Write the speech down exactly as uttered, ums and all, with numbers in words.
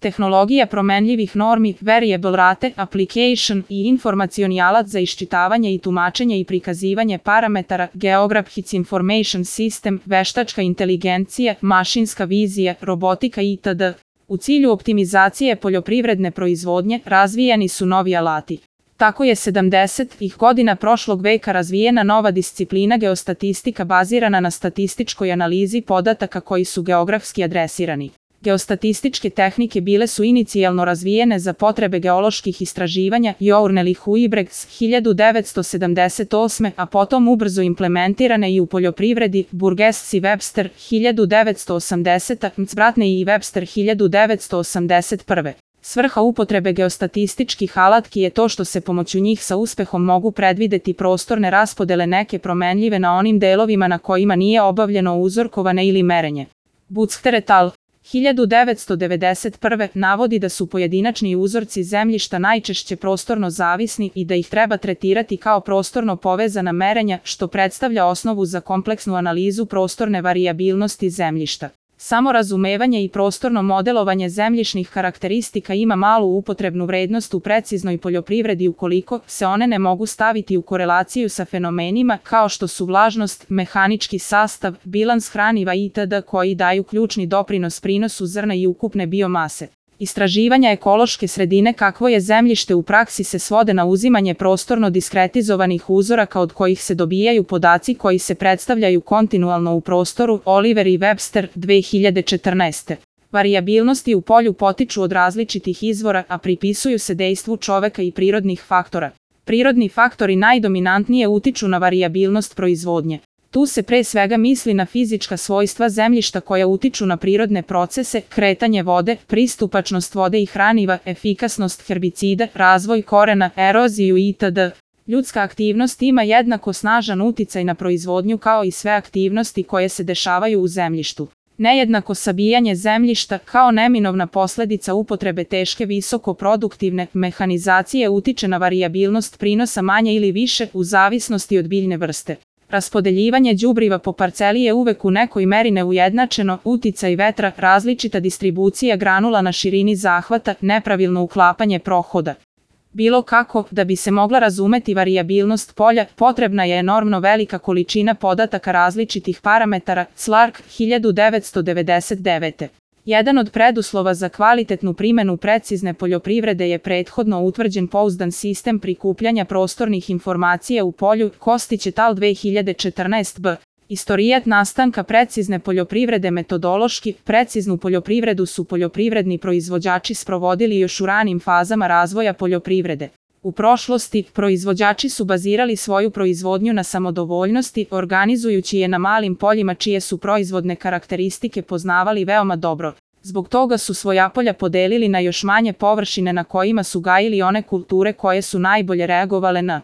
tehnologija promenljivih normi, variable rate, application i informacioni alat za iščitavanje i tumačenje i prikazivanje parametara, Geographic Information System, veštačka inteligencija, mašinska vizija, robotika itd. U cilju optimizacije poljoprivredne proizvodnje razvijeni su novi alati. Tako je sedamdesetih godina prošlog veka razvijena nova disciplina geostatistika bazirana na statističkoj analizi podataka koji su geografski adresirani. Geostatističke tehnike bile su inicijalno razvijene za potrebe geoloških istraživanja Journal i Huybrechts hiljadu devetsto sedamdeset osme. a potom ubrzo implementirane i u poljoprivredi Burgess i Webster hiljadu devetsto osamdesete. Mcbratne i Webster hiljadu devetsto osamdeset prve. Svrha upotrebe geostatističkih alatki je to što se pomoću njih sa uspehom mogu predvideti prostorne raspodele neke promenljive na onim delovima na kojima nije obavljeno uzorkovane ili merenje. Buchter et al. hiljadu devetsto devedeset prve. navodi da su pojedinačni uzorci zemljišta najčešće prostorno zavisni i da ih treba tretirati kao prostorno povezana merenja, što predstavlja osnovu za kompleksnu analizu prostorne varijabilnosti zemljišta. Samo razumevanje i prostorno modelovanje zemljišnih karakteristika ima malu upotrebnu vrednost u preciznoj poljoprivredi ukoliko se one ne mogu staviti u korelaciju sa fenomenima kao što su vlažnost, mehanički sastav, bilans hraniva itd. koji daju ključni doprinos prinosu zrna i ukupne biomase. Istraživanja ekološke sredine kakvo je zemljište u praksi se svode na uzimanje prostorno diskretizovanih uzoraka od kojih se dobijaju podaci koji se predstavljaju kontinualno u prostoru, Oliver i Webster, dve hiljade četrnaeste. Varijabilnosti u polju potiču od različitih izvora, a pripisuju se dejstvu čoveka i prirodnih faktora. Prirodni faktori najdominantnije utiču na varijabilnost proizvodnje. Tu se pre svega misli na fizička svojstva zemljišta koja utiču na prirodne procese, kretanje vode, pristupačnost vode i hraniva, efikasnost herbicida, razvoj korena, eroziju itd. Ljudska aktivnost ima jednako snažan uticaj na proizvodnju kao i sve aktivnosti koje se dešavaju u zemljištu. Nejednako sabijanje zemljišta kao neminovna posledica upotrebe teške visokoproduktivne mehanizacije utiče na varijabilnost prinosa manje ili više u zavisnosti od biljne vrste. Raspodeljivanje đubriva po parceli je uvek u nekoj meri neujednačeno, uticaj vetra, različita distribucija granula na širini zahvata, nepravilno uklapanje prohoda. Bilo kako, da bi se mogla razumeti varijabilnost polja, potrebna je enormno velika količina podataka različitih parametara, Clark, hiljadu devetsto devedeset devete. Jedan od preduslova za kvalitetnu primenu precizne poljoprivrede je prethodno utvrđen pouzdan sistem prikupljanja prostornih informacija u polju, Kostić et al. dve hiljade četrnaeste. b. Istorijat nastanka precizne poljoprivrede metodološki, preciznu poljoprivredu su poljoprivredni proizvođači sprovodili još u ranim fazama razvoja poljoprivrede. U prošlosti, proizvođači su bazirali svoju proizvodnju na samodovoljnosti, organizujući je na malim poljima čije su proizvodne karakteristike poznavali veoma dobro. Zbog toga su svoja polja podelili na još manje površine na kojima su gajili one kulture koje su najbolje reagovale na